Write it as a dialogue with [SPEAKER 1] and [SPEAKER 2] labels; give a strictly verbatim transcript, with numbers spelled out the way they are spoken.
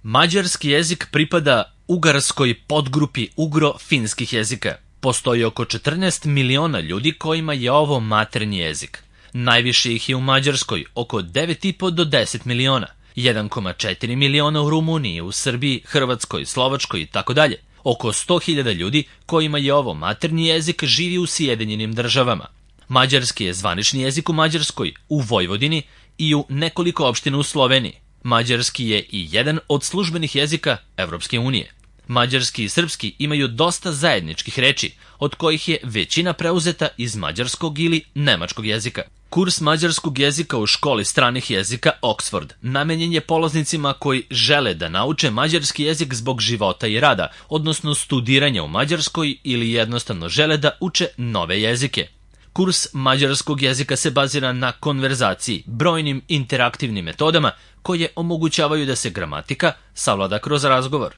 [SPEAKER 1] Mađarski jezik pripada ugarskoj podgrupi ugro-finskih jezika. Postoji oko četrnaest miliona ljudi kojima je ovo maternji jezik. Najviše ih je u Mađarskoj, oko devet i po do deset miliona. jedan zarez četiri miliona u Rumuniji, u Srbiji, Hrvatskoj, Slovačkoj i tako dalje. Oko sto hiljada ljudi kojima je ovo maternji jezik živi u Sjedinjenim državama. Mađarski je zvanični jezik u Mađarskoj, u Vojvodini i u nekoliko opština u Sloveniji. Mađarski je i jedan od službenih jezika Evropske unije. Mađarski i srpski imaju dosta zajedničkih reči, od kojih je većina preuzeta iz mađarskog ili nemačkog jezika. Kurs mađarskog jezika u školi stranih jezika Oxford namenjen je polaznicima koji žele da nauče mađarski jezik zbog života i rada, odnosno studiranja u Mađarskoj ili jednostavno žele da uče nove jezike. Kurs mađarskog jezika se bazira na konverzaciji, brojnim interaktivnim metodama koje omogućavaju da se gramatika savlada kroz razgovor.